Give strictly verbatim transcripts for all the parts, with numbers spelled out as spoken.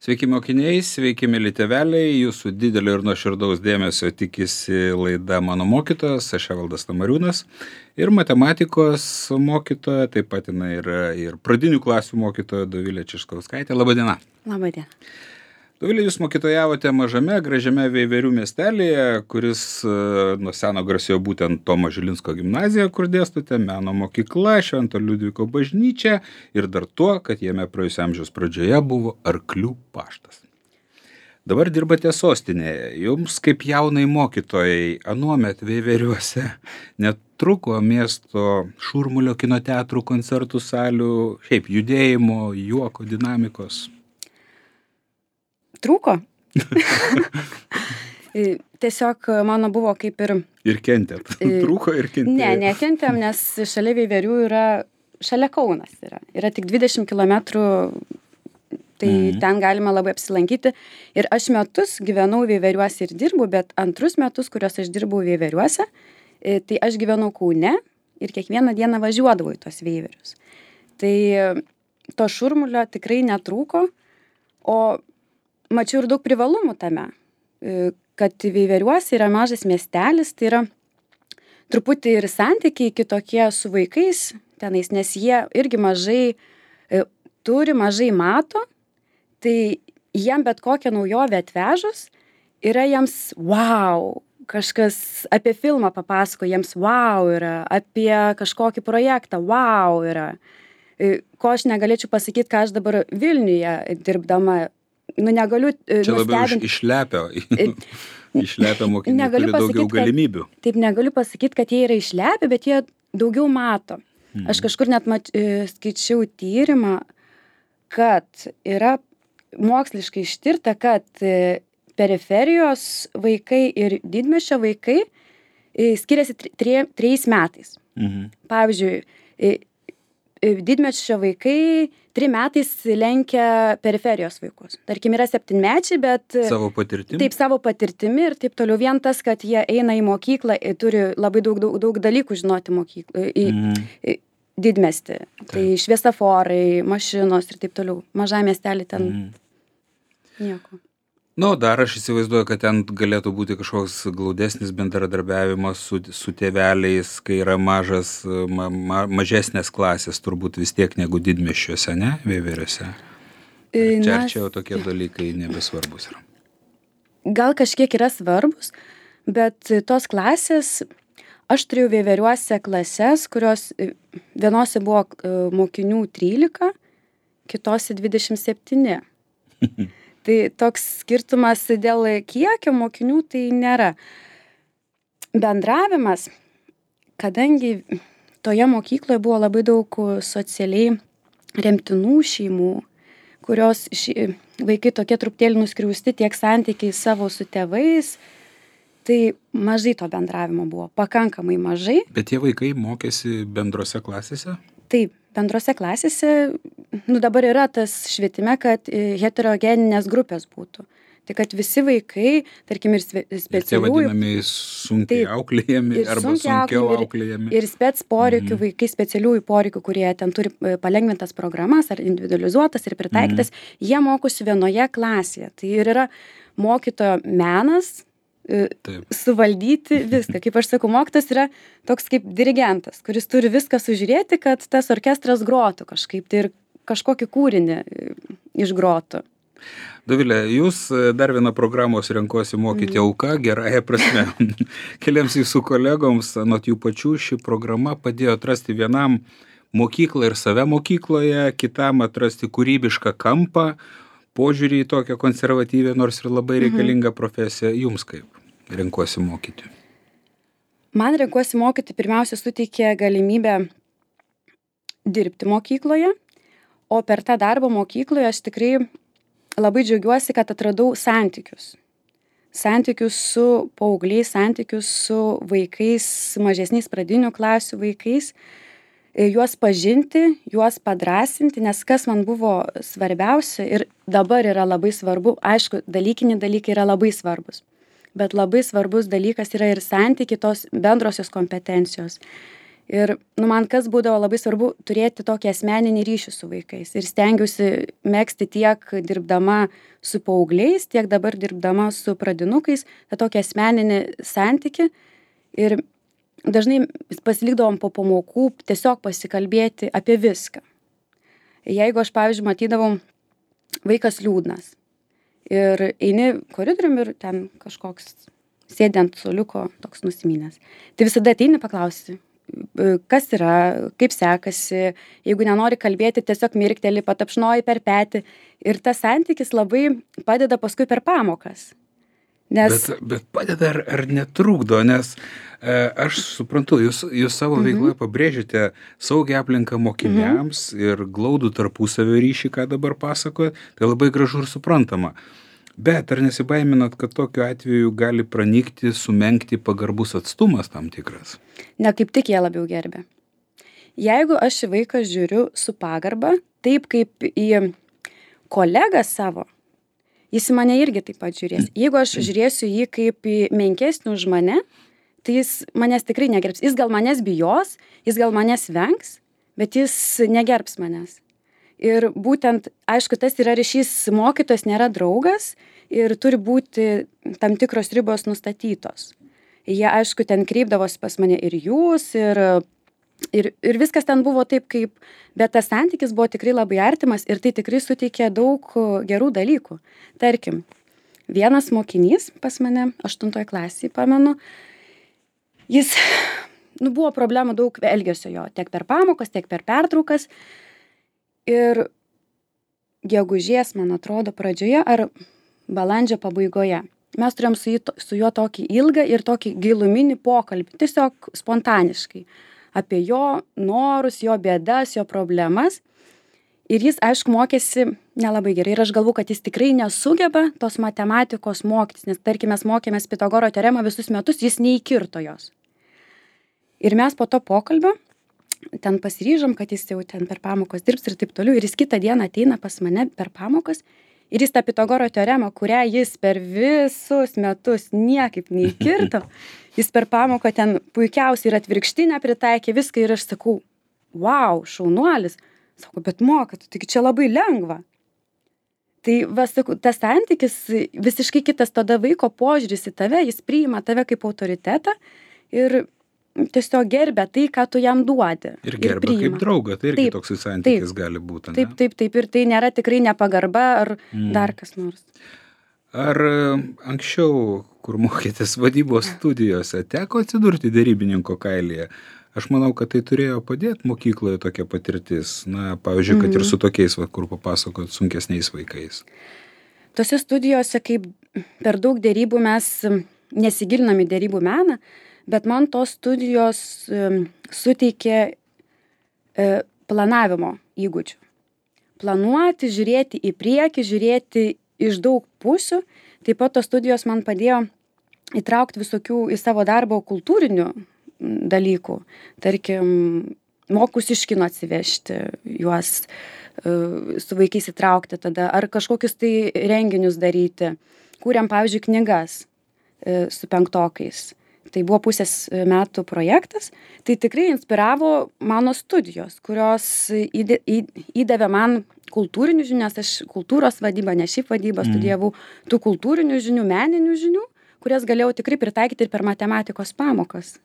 Sveiki mokiniai, sveiki mėly tėveliai, jūsų didelio ir nuoširdaus dėmesio tikisi laida Mano mokytojas, aš Evaldas Tamariūnas ir matematikos mokytoja, taip pat jinai yra ir pradinių klasių mokytoja Dovilė Čiškauskaitė. Labą dieną. Labą dieną. Dovilė, jūs mokytojavote mažame, gražiame Veiverių miestelėje, kuris nuo seno garsėjo būtent Tomo Žilinsko gimnazija, kur dėstote, meno mokykla, Švento Liudviko bažnyčia ir dar tuo, kad jame praėjusio amžiaus pradžioje buvo Arklių paštas. Dabar dirbate sostinėje. Jums kaip jaunai mokytojai anuomet Veiveriuose netruko miesto šurmulio kino teatrų, koncertų salių, šiaip judėjimo, juoko, dinamikos? Trūko. Tiesiog mano buvo kaip ir... Ir kentėt. Trūko ir kentėt. Ne, nekentėm, nes šalia Veiverių yra, šalia Kaunas yra. Yra tik dvidešimt kilometrų, tai mm. ten galima labai apsilankyti. Ir aš metus gyvenau Veiveriuose ir dirbu, bet antrus metus, kuriuos aš dirbau Veiveriuose, tai aš gyvenau Kaune ir kiekvieną dieną važiuodavau į tos Veiverius. Tai to šurmulio tikrai netrūko, o mačiau ir daug privalumų tame, kad Veiveriuose yra mažas miestelis, tai yra truputį ir santykiai kitokie su vaikais tenais, nes jie irgi mažai turi, mažai mato, tai jiem bet kokią naujovę atvežus yra jiems wow, kažkas apie filmą papasako, jiems wow yra, apie kažkokį projektą wow yra, ko aš negalėčiau pasakyti, ką aš dabar Vilniuje dirbdama. Nu, negaliu Čia labiau išlepia, išlepia mokiniai, turi daugiau galimybių. Kad, taip, negaliu pasakyti, kad jie yra išlepia, bet jie daugiau mato. Mhm. Aš kažkur net mat, skaičiau tyrimą, kad yra moksliškai ištirta, kad periferijos vaikai ir didmiesčio vaikai skiriasi tre, trejais metais. Mhm. Pavyzdžiui, didmiesčio vaikai trim metais lenkia periferijos vaikus. Tarkim, yra septynmečiai, bet... Savo patirtimi? Taip, savo patirtimi ir taip toliau. Vien tas, kad jie eina į mokyklą, turi labai daug, daug, daug dalykų žinoti mokyklą, į, mm. į didmiestį. Taip. Tai šviesaforai, mašinos ir taip toliau. Maža miestelį ten mm. nieko. Nu, dar aš įsivaizduoju, kad ten galėtų būti kažkoks glaudesnis bendradarbiavimas su, su tėveliais, kai yra mažas, ma, ma, mažesnės klasės turbūt vis tiek negu didmiesčiuose, ne, Veiveriuose. Čia ar čia jau tokie dalykai nebesvarbus yra? Gal kažkiek yra svarbus, bet tos klasės, aš turėjau Veiveriuose klases, kurios vienose buvo mokinių trylika, kitose dvidešimt septyni. Tai toks skirtumas dėl kiekio mokinių tai nėra. Bendravimas, kadangi toje mokykloje buvo labai daug socialiai remtinų šeimų, kurios ši, vaikai tokie truputėlį nuskriausti tiek santykiai savo su tėvais, tai mažai to bendravimo buvo, pakankamai mažai. Bet tie vaikai mokėsi bendrose klasėse? Taip, bendrose klasėse, nu dabar yra tas švietime, kad heterogeninės grupės būtų. Tai kad visi vaikai, tarkim, ir specialiųjų... Ir tie vadinami sunkiai auklėjami arba sunkiau auklėjami. Ir, ir spec poreikių mm. vaikai, specialiųjų poreikių, kurie ten turi palengvintas programas ar individualizuotas ir pritaikytas, mm. jie mokosi vienoje klasėje. Tai ir yra mokytojo menas, Taip. Suvaldyti viską. Kaip aš sakau, mokytojas yra toks kaip dirigentas, kuris turi viską sužiūrėti, kad tas orkestras grotų kažkaip tai ir kažkokį kūrinį išgrotų. Dovilė, jūs dar vieną programos renkosi mokyti mm. auka, gerąją prasme. Keliams jūsų kolegoms, anot jų pačių, ši programa padėjo atrasti vienam mokyklą ir save mokykloje, kitam atrasti kūrybišką kampą, požiūrį į tokią konservatyvę, nors ir labai reikalingą profesiją. Jums kaip renkuosi mokyti? Man renkuosi mokyti pirmiausia suteikė galimybę dirbti mokykloje, o per tą darbą mokykloje aš tikrai labai džiaugiuosi, kad atradau santykius. Santykius su paaugliais, santykius su vaikais, mažesniais pradinių klasių vaikais, juos pažinti, juos padrąsinti, nes kas man buvo svarbiausia ir dabar yra labai svarbu, aišku, dalykiniai dalykai yra labai svarbus, bet labai svarbus dalykas yra ir santykiai, tos bendrosios kompetencijos. Ir nu, man kas būdavo labai svarbu turėti tokį asmeninį ryšį su vaikais. Ir stengiausi megzti tiek dirbdama su paaugliais, tiek dabar dirbdama su pradinukais, tą tokį asmeninį santykį. Ir dažnai pasilikdavom po pamokų tiesiog pasikalbėti apie viską. Jeigu aš, pavyzdžiui, matydavau vaikas liūdnas ir eini koridorium ir ten kažkoks sėdi ant suoliuko toks nusiminęs, tai visada ateini paklausi, kas yra, kaip sekasi, jeigu nenori kalbėti, tiesiog mirkteli, patapšnoji per petį ir tas santykis labai padeda paskui per pamokas. Nes... Bet, bet padeda ar, ar netrukdo, nes e, aš suprantu, jūs, jūs savo mhm. veikloje pabrėžite saugią aplinką mokiniams mhm. ir glaudų tarpusavio ryšį, ką dabar pasakojat, tai labai gražu ir suprantama. Bet ar nesibaiminat, kad tokiu atveju gali pranykti, sumenkti pagarbus atstumas tam tikras? Ne, kaip tik jie labiau gerbė. Jeigu aš į vaiką žiūriu su pagarba, taip kaip į kolegą savo, jis į mane irgi taip pat žiūrės. Jeigu aš žiūrėsiu jį kaip į menkesnį už mane, tai jis manęs tikrai negerbs. Jis gal manęs bijos, jis gal manęs vengs, bet jis negerbs manęs. Ir būtent, aišku, tas yra ryšys, mokytojas nėra draugas ir turi būti tam tikros ribos nustatytos. Jie, aišku, ten kreipdavosi pas mane ir jūs, ir, ir, ir viskas ten buvo taip, kaip, bet tas santykis buvo tikrai labai artimas ir tai tikrai suteikė daug gerų dalykų. Tarkim, vienas mokinys pas mane, aštuntoje klasėje, pamenu, jis, nu, buvo problemų daug elgesio jo, tiek per pamokas, tiek per pertraukas. Ir gegužės, man atrodo, pradžioje ar balandžio pabaigoje mes turėjom su, jį, su juo tokį ilgą ir tokį giluminį pokalbį, tiesiog spontaniškai, apie jo norus, jo bėdas, jo problemas. Ir jis, aišku, mokėsi nelabai gerai. Ir aš galvoju, kad jis tikrai nesugeba tos matematikos mokytis, nes, tarkim, mes mokėmės Pitagoro teoremą visus metus, jis neįkirto jos. Ir mes po to pokalbio ten pasiryžom, kad jis jau ten per pamokos dirbs ir taip toliau. Ir jis kitą dieną ateina pas mane per pamokas ir jis tą Pitagoro teoremą, kurią jis per visus metus niekaip neįkirto, jis per pamoką ten puikiausiai ir atvirkštinę pritaikė viską ir aš sakau, wow, šaunuolis. Sako, bet moka, tu tik čia labai lengva. Tai, va, sakau, tas santykis visiškai kitas, tada vaiko požiūris į tave, jis priima tave kaip autoritetą ir tiesiog gerbia tai, ką tu jam duodi. Ir gerbia ir kaip draugą, tai irgi taip, toksai santykis taip, gali būti. Ne? Taip, taip, taip, ir tai nėra tikrai nepagarba ar mm. dar kas nors. Ar anksčiau, kur mokėtės vadybos studijose, teko atsidurti derybininko kailyje? Aš manau, kad tai turėjo padėti mokykloje tokia patirtis. Na, pavyzdžiui, kad mm. ir su tokiais, va, kur papasakot, sunkesniais vaikais. Tose studijose, kaip per daug derybų mes nesigilinam į derybų meną, bet man tos studijos um, suteikė e, planavimo įgūdžių. Planuoti, žiūrėti į priekį, žiūrėti iš daug pusių. Taip pat tos studijos man padėjo įtraukti visokių į savo darbą kultūrinių dalykų. Tarkim, mokus iš kino atsivežti, juos e, su vaikais įtraukti tada, ar kažkokius tai renginius daryti. Kūrėm, pavyzdžiui, knygas e, su penktokais. Tai buvo pusės metų projektas, tai tikrai inspiravo mano studijos, kurios įdė, įdavė man kultūrinių žinių, nes aš kultūros vadybą, ne šiaip vadybą mm. studijavau, tų kultūrinių žinių, meninių žinių, kurias galėjau tikrai pritaikyti ir per matematikos pamokas.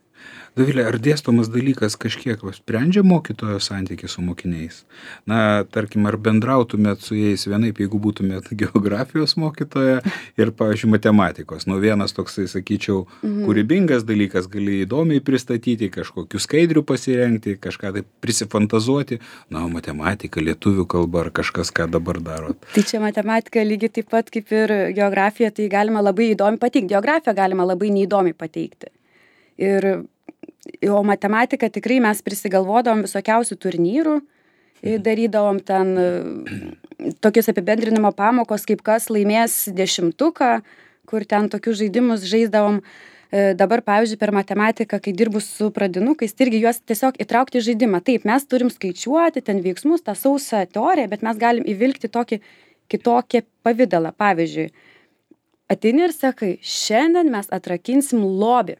Dovilė, ar dėstomas dalykas kažkiek sprendžia mokytojo santykį su mokiniais? Na, tarkim, ar bendrautumėt su jais vienaip, jeigu būtumėt geografijos mokytoja ir, pavyzdžiui, matematikos? Nu, vienas toksai, sakyčiau, mhm. kūrybingas dalykas, gali įdomiai pristatyti, kažkokių skaidrių pasirengti, kažką tai prisifantazuoti. Na, matematika, lietuvių kalba ar kažkas, ką dabar darot. Tai čia matematika lygiai taip pat kaip ir geografija, tai galima labai įdomiai pateikti. Geografiją galima labai neįdomiai pateikti. Ir, o matematiką tikrai mes prisigalvodavom visokiausių turnyrų, darydavom ten tokius apibendrinimo pamokos, kaip kas laimės dešimtuką, kur ten tokius žaidimus žaisdavom. Dabar, pavyzdžiui, per matematiką, kai dirbu su pradinukais, tai irgi juos tiesiog įtraukti į žaidimą. Taip, mes turim skaičiuoti ten veiksmus, tą sausą teoriją, bet mes galim įvilkti tokį kitokį pavidalą. Pavyzdžiui, ateini ir sakai, šiandien mes atrakinsim lobį.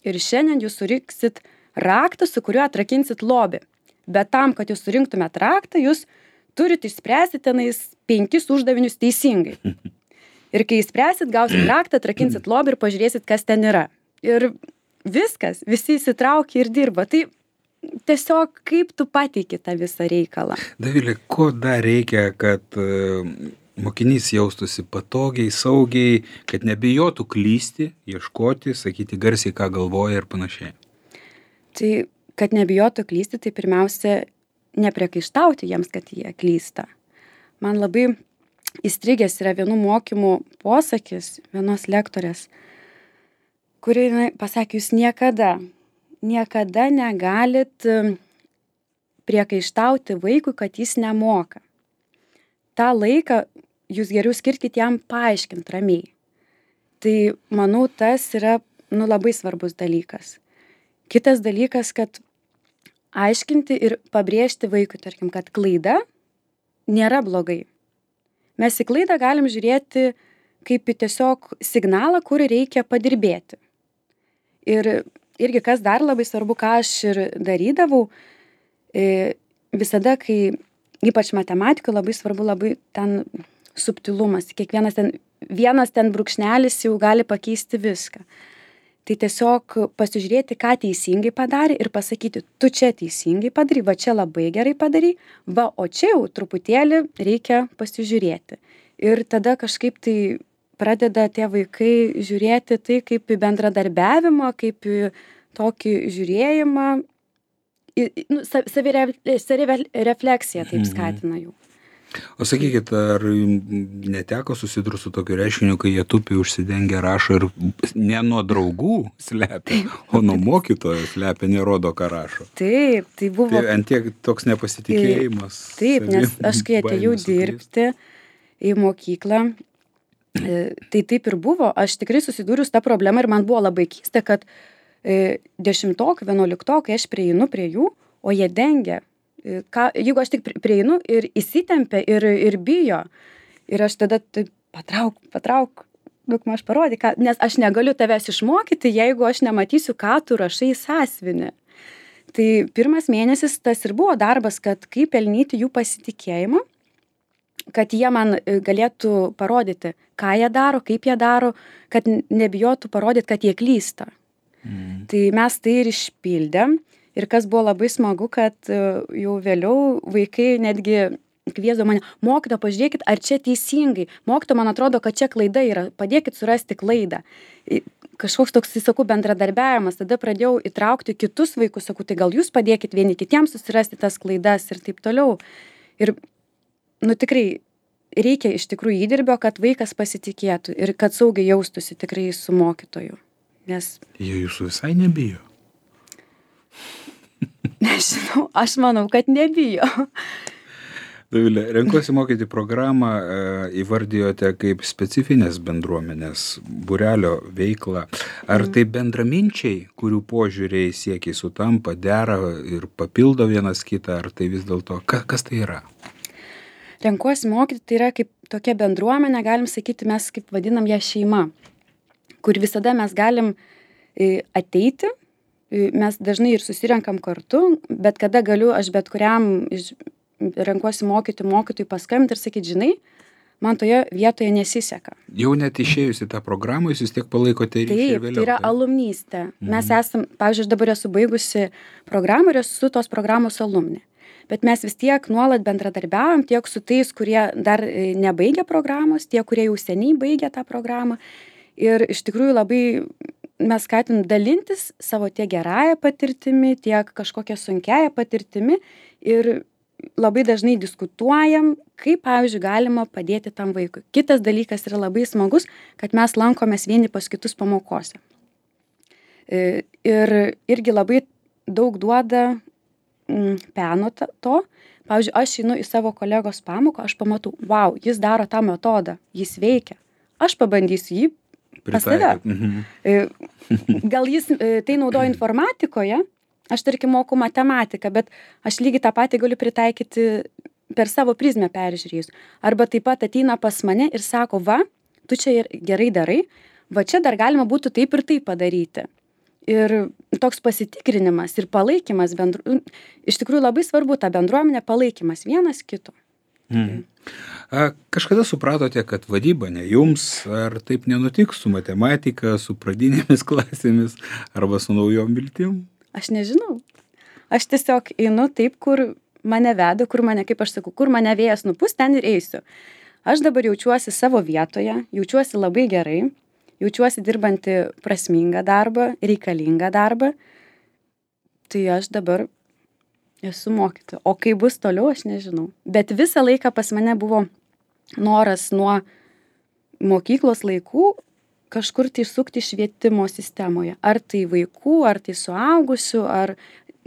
Ir šiandien jūs suriksit raktą, su kuriuo atrakinsit lobį. Bet tam, kad jūs surinktumėt raktą, jūs turit išspręsti tenais penkis uždavinius teisingai. Ir kai išspręsit, gausit raktą, atrakinsit lobį ir pažiūrėsit, kas ten yra. Ir viskas, visi įsitraukia ir dirba. Tai tiesiog kaip tu pateiki tą visą reikalą. Dovilė, ko dar reikia, kad uh, mokinys jaustųsi patogiai, saugiai, kad nebijotų klysti, ieškoti, sakyti garsiai, ką galvoja ir panašiai? Tai, kad nebijotų klysti, tai pirmiausia, nepriekaištauti jiems, kad jie klysta. Man labai įstrigęs yra vienų mokymų posakis, vienos lektorės, kuri pasakė, jūs niekada, niekada negalit priekaištauti vaikui, kad jis nemoka. tą laiką jūs geriau skirkit jam paaiškint ramiai. Tai manau, tas yra nu, labai svarbus dalykas. Kitas dalykas, kad aiškinti ir pabrėžti vaikui, tarkim, kad klaida nėra blogai. Mes į klaidą galim žiūrėti kaip į tiesiog signalą, kur reikia padirbėti. Ir irgi kas dar labai svarbu, ką aš ir darydavau, visada, kai ypač matematikoje labai svarbu labai ten subtilumas. Kiekvienas ten, vienas ten brūkšnelis jau gali pakeisti viską. Tai tiesiog pasižiūrėti, ką teisingai padarė ir pasakyti, tu čia teisingai padarai, va čia labai gerai padarai, va, o čia jau truputėlį reikia pasižiūrėti. Ir tada kažkaip tai pradeda tie vaikai žiūrėti tai kaip į bendradarbiavimą, kaip į tokį žiūrėjimą, į, nu, savirefleksiją taip skatina jų. O sakykit, ar neteko susidurti su tokiu reiškiniu, kai jie tupi užsidengia rašo ir ne nuo draugų slepia, o nuo mokytojo slepia, nerodo, ką rašo? Taip, tai buvo... Tai ant tiek toks nepasitikėjimas. Taip, nes aš kai atėjau dirbti į mokyklą, tai taip ir buvo. Aš tikrai susidūriau su tą problemą ir man buvo labai keista, kad dešimtokai, vienuoliktokai aš prieinu prie jų, o jie dengia. Ką, jeigu aš tik prieinu ir įsitempia ir, ir bijo, ir aš tada taip, patrauk, patrauk, daug maž parodį, ką, nes aš negaliu tavęs išmokyti, jeigu aš nematysiu, ką tu rašai į sąsiuvinį. Tai pirmas mėnesis tas ir buvo darbas, kad kaip pelnyti jų pasitikėjimą, kad jie man galėtų parodyti, ką jie daro, kaip jie daro, kad nebijotų parodyti, kad jie klysta. Mm. Tai mes tai ir išpildėm. Ir kas buvo labai smagu, kad jau vėliau vaikai netgi kviesdavo mane, mokytoja, pažiūrėkit, ar čia teisingai. Mokytoja, man atrodo, kad čia klaida yra, padėkit surasti klaidą. Kažkoks toks, sakau, bendradarbiavimas. Tada pradėjau įtraukti kitus vaikus, sakau, tai gal jūs padėkit vieni kitiems susirasti tas klaidas ir taip toliau. Ir, nu tikrai, reikia iš tikrųjų įdirbio, kad vaikas pasitikėtų ir kad saugiai jaustųsi tikrai su mokytoju. Nes... Jie jūsų visai nebijo. Nežinau, aš manau, kad nebijo. Dovilė, renkuosi mokyti programą įvardijote kaip specifinės bendruomenės būrelio veiklą. Ar tai bendraminčiai, kurių požiūriai siekiai sutampa, dera ir papildo vienas kitą, ar tai vis dėlto, ka, kas tai yra? Renkuosi mokyti, tai yra kaip tokia bendruomenė, galim sakyti, mes kaip vadinam ją šeima, kur visada mes galim ateiti. Mes dažnai ir susirenkam kartu, bet kada galiu aš bet kuriam iš, renkuosi mokyti mokytojui paskambinti ir sakyti, žinai, man toje vietoje nesiseka. Jau net išėjus į tą programą, jūs vis tiek palaikote ryšį vėliau. Taip, tai yra alumnystė. Mhm. Mes esam, pavyzdžiui, aš dabar esu baigusi programą ir esu tos programos alumnė. Bet mes vis tiek nuolat bendradarbiaujam tiek su tais, kurie dar nebaigia programos, tie, kurie jau seniai baigė tą programą. Ir iš tikrųjų labai... mes skatinam dalintis savo tiek gerąją patirtimi, tiek kažkokią sunkiąją patirtimi ir labai dažnai diskutuojam, kaip, pavyzdžiui, galima padėti tam vaikui. Kitas dalykas yra labai smagus, kad mes lankomės vieni pas kitus pamokose. Ir irgi labai daug duoda peno to. Pavyzdžiui, aš einu į savo kolegos pamoką, aš pamatau, wow, jis daro tą metodą, jis veikia. Aš pabandysiu jį pas save. Mhm. Gal jis tai naudoja informatikoje, aš tarkim moku matematiką, bet aš lygiai tą patį galiu pritaikyti per savo prizmę peržiūrėjus. Arba taip pat ateina pas mane ir sako, va, tu čia gerai darai, va čia dar galima būtų taip ir taip padaryti. ir toks pasitikrinimas ir palaikymas bendru iš tikrųjų labai svarbu ta bendruomenė, palaikymas vienas kito. Mm. A, kažkada supratote, kad vadyba ne jums, ar taip nenutiks su matematika, su pradinėmis klasėmis arba su naujom viltim? Aš nežinau. Aš tiesiog einu taip, kur mane veda, kur mane, kaip aš sakau, kur mane vėjas nupūs, ten ir eisiu. Aš dabar jaučiuosi savo vietoje, jaučiuosi labai gerai, jaučiuosi dirbanti prasmingą darbą, reikalingą darbą. Tai aš dabar esu mokytoja. O kai bus toliau, aš nežinau. Bet visą laiką pas mane buvo noras nuo mokyklos laikų kažkur tai sukti švietimo sistemoje. Ar tai vaikų, ar tai suaugusių, ar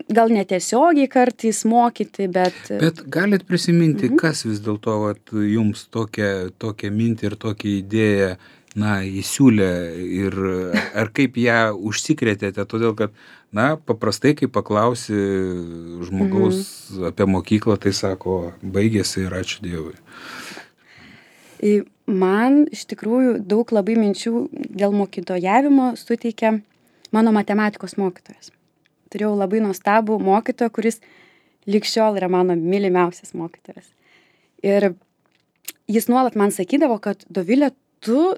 gal netiesiogiai kartais mokyti, bet... Bet galit prisiminti, mhm. kas vis dėlto vat, jums tokią, tokią mintį ir tokią idėją na, įsiūlė ir ar kaip ją užsikrėtėte, todėl kad, na, paprastai, kai paklausi žmogaus mhm. apie mokyklą, tai sako, baigėsi ir ačiū Dievui. Man iš tikrųjų daug labai minčių dėl mokytojavimo suteikia mano matematikos mokytojas. Turėjau labai nuostabų mokytoją, kuris lig šiol yra mano mylimiausias mokytojas. Ir jis nuolat man sakydavo, kad Dovilė, tu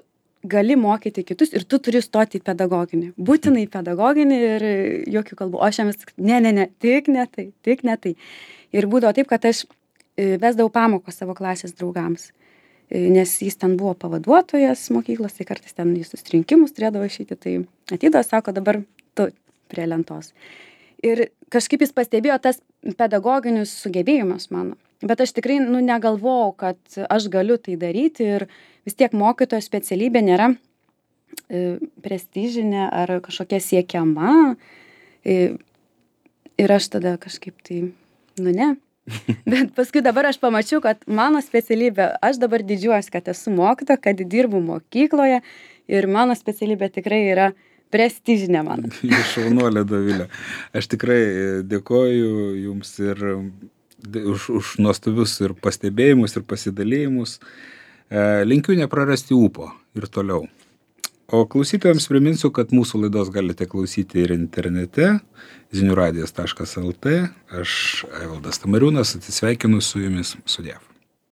gali mokyti kitus ir tu turi stoti į pedagoginį. Būtinai į pedagoginį ir jokių kalbų. O aš jam vis, ne, ne, ne, tik ne tai, tik ne tai. Ir būdavo taip, kad aš vesdavau pamokos savo klasės draugams. Nes jis ten buvo pavaduotojas mokyklos, tai kartais ten į susirinkimus turėdavo išeiti, tai ateidavo, sako, dabar tu prie lentos. Ir kažkaip jis pastebėjo tas pedagoginius sugebėjimus mano. Bet aš tikrai nu, negalvojau, kad aš galiu tai daryti ir vis tiek mokytojo specialybė nėra e, prestižinė ar kažkokia siekiama. E, ir aš tada kažkaip tai, nu ne. Bet paskui dabar aš pamačiau, kad mano specialybė, aš dabar didžiuojuosi, kad esu mokytoja, kad dirbu mokykloje ir mano specialybė tikrai yra prestižinė mano. Šaunuolė, Dovilė. Aš tikrai dėkoju jums ir už, už nuostabius ir pastebėjimus ir pasidalėjimus. Linkiu neprarasti ūpo ir toliau. O klausytojams priminsiu, kad mūsų laidos galite klausyti ir internete zinių radijas taškas el tė. Aš, Evaldas Tamariūnas, atsisveikinu su jumis. Sudiev.